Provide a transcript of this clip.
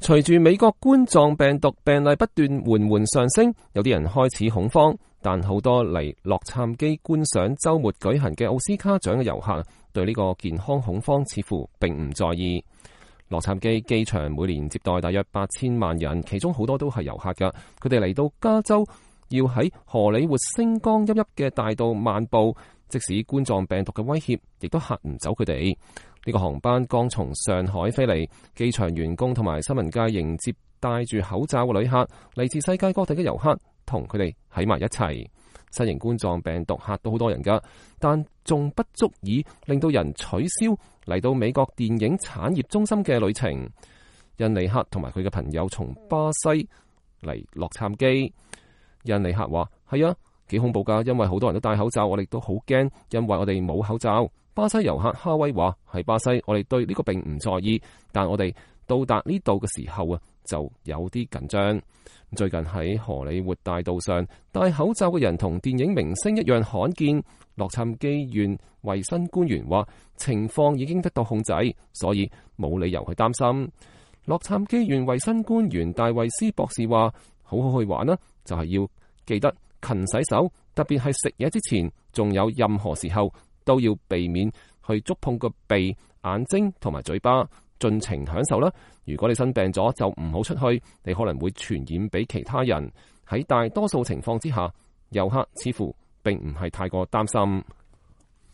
隨住美國冠狀病毒病例不斷緩緩上升，有啲人開始恐慌，但好多嚟洛杉磯觀賞週末舉行嘅奧斯卡獎嘅遊客對呢個健康恐慌似乎並唔在意。洛杉磯機場每年接待大約8000萬人，其中好多都係遊客㗎。佢哋嚟到加州，要喺荷里活星光熠熠嘅大道漫步，即使冠狀病毒嘅威脅，亦都嚇唔走佢哋。呢個航班剛從上海飛嚟，機場員工同埋新聞界迎接戴住口罩嘅旅客，嚟自世界各地嘅遊客，同佢哋喺埋一齊。新型冠狀病毒嚇到好多人㗎，但仲不足以令到人取消嚟到美國電影產業中心嘅旅程。印尼克同埋佢嘅朋友從巴西嚟洛杉磯。印尼克話：係啊，幾恐怖㗎，因為好多人都戴口罩，我哋都好驚，因為我哋冇口罩。巴西遊客哈威話：喺巴西，我哋對呢個並唔在意，但我哋到達呢度嘅時候啊，就有啲緊張。最近喺荷里活大道上戴口罩嘅人同電影明星一樣罕見。洛杉磯縣衛生官員話情況已經得到控制，所以冇理由去擔心。洛杉磯縣衛生官員戴維斯博士話：好好去玩啦，就係要記得勤洗手，特別係食嘢之前，仲有任何時候都要避免去觸碰個鼻、眼睛同埋嘴巴，盡情享受啦。如果你生病咗，就唔好出去，你可能會傳染俾其他人。喺大多數情況之下，遊客似乎並唔係太過擔心。